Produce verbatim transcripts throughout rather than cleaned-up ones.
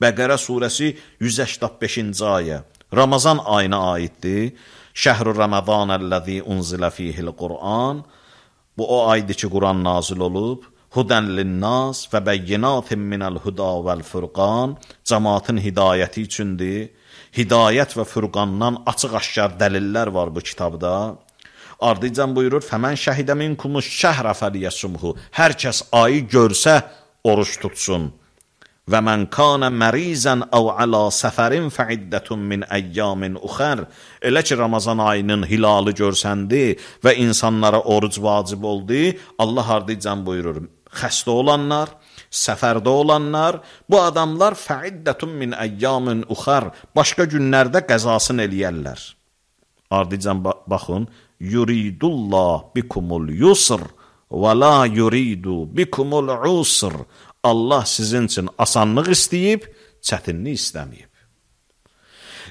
Bəqərə surəsi yüz səksən beşinci ayə. Ramazan ayına aiddir. Şəhr-ü Ramazanəl-ləzi unzilə fihil Qur'an. Bu o aydır ki, Quran nazil olub. Hudən linnas və bəyyinatin minəl-huda vəl-furqan. Cəmaatın hidayəti üçündür. Hidayət və furqandan açıq-aşkar dəlillər var bu kitabda. Ardıcan buyurur, fəmən şəhidə minkumuş şəhrə fəliyəsumhu. Hər kəs ayı görsə, oruç tutsun. Və mən kanə mərizən əv alə səfərin fəiddətun min əyyamin uxər. Elə ki, Ramazan ayının hilalı görsəndi və insanlara oruc vacib oldu, Allah ardıcan buyurur, xəstə olanlar, səfərdə olanlar, bu adamlar fəiddətun min əyyamin uxər, başqa günlərdə qəzasını eləyərlər. Ardıcan baxın, yuridullah bikumul yusr və la yuridu bikumul usr. Allah sizin üçün asanlıq istəyib, çətinlik istəməyib.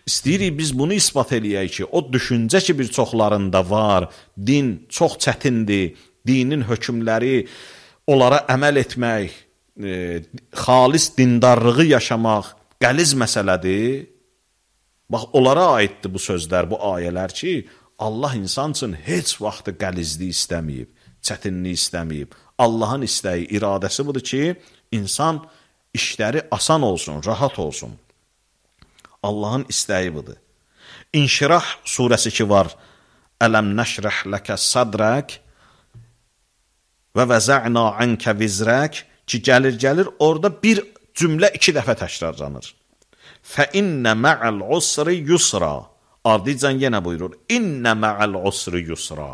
İstəyirik biz bunu isbat eləyək ki, o düşüncə ki, bir çoxlarında var, din çox çətindir, dinin hökmləri, onlara əməl etmək, e, xalis dindarlığı yaşamaq qəliz məsələdir. Bax, onlara aiddir bu sözlər, bu ayələr ki, Allah insan üçün heç vaxtı qəlizlik istəməyib, çətinlik istəməyib. Allahın istəyi, iradəsi budur ki, İnsan işləri asan olsun, rahat olsun. Allahın istəyi budur. İnşirah surəsi ki var, Ələm nəşrəh ləkə sadrək və vəzə'na ənkə vizrək ki, gəlir-gəlir, orada bir cümlə iki dəfə təkrarlanır. Fə innə mə'əl usri yusra. Ardıcan yenə buyurur, innə mə'əl usri yusra.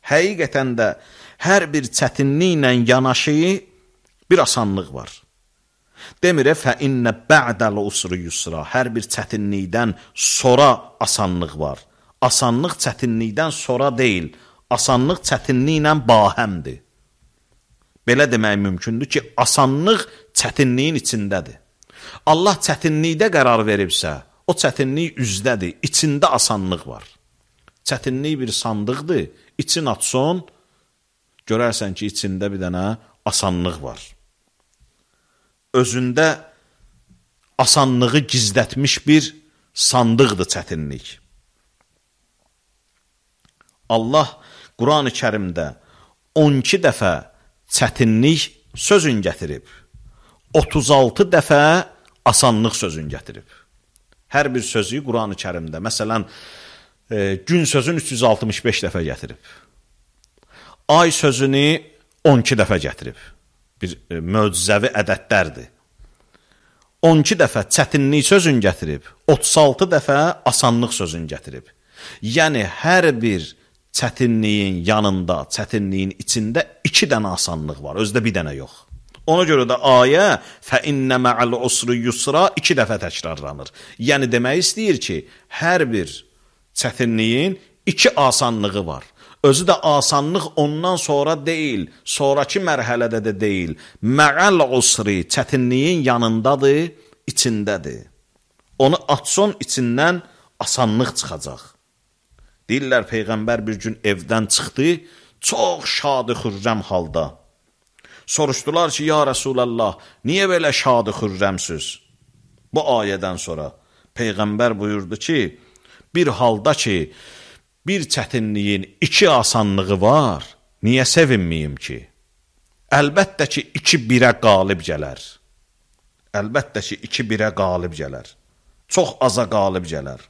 Həqiqətən də hər bir çətinliklə yanaşı bir asanlıq var. Demirə, fə innə bə'dəl usri yusra. Hər bir çətinlikdən sonra asanlıq var. Asanlıq çətinlikdən sonra deyil, asanlıq çətinliklə bahəmdir. Belə demək mümkündür ki, asanlıq çətinliyin içindədir. Allah çətinlikdə qərar veribsə, o çətinlik üzdədir, içində asanlıq var. Çətinlik bir sandıqdır, için açson, görərsən ki, içində bir dənə asanlıq var. Özündə asanlığı gizlətmiş bir sandıqdır çətinlik. Allah Quran-ı Kərimdə on iki dəfə çətinlik sözün gətirib, otuz altı dəfə asanlıq sözün gətirib. Hər bir sözü Quran-ı Kərimdə, məsələn, e, gün sözün üç yüz altmış beş dəfə gətirib. Ay sözünü on iki dəfə gətirib. Bir e, möcüzəvi ədədlərdir. on iki dəfə çətinlik sözün gətirib, otuz altı dəfə asanlıq sözün gətirib. Yəni, hər bir çətinliyin yanında, çətinliyin içində iki dənə asanlıq var, özdə bir dənə yox. Ona görə də ayə fə innə mə'əl usri yusra iki dəfə təkrarlanır. Yəni, demək istəyir ki, hər bir çətinliyin iki asanlığı var. Özü də asanlıq ondan sonra deyil, sonraki mərhələdə də deyil. Mə'əl usri çətinliyin yanındadır, içindədir. Onu açson içindən asanlıq çıxacaq. Deyirlər, Peyğəmbər bir gün evdən çıxdı, çox şadı xürrəm halda. Soruşdular ki, ya Rasulallah, niyə belə şadı xürrəmsiz? Bu ayədən sonra Peyğəmbər buyurdu ki, bir halda ki, bir çətinliyin iki asanlığı var, niyə sevinməyim ki? Əlbəttə ki, iki birə qalib gələr. Əlbəttə ki, iki birə qalib gələr. Çox aza qalib gələr.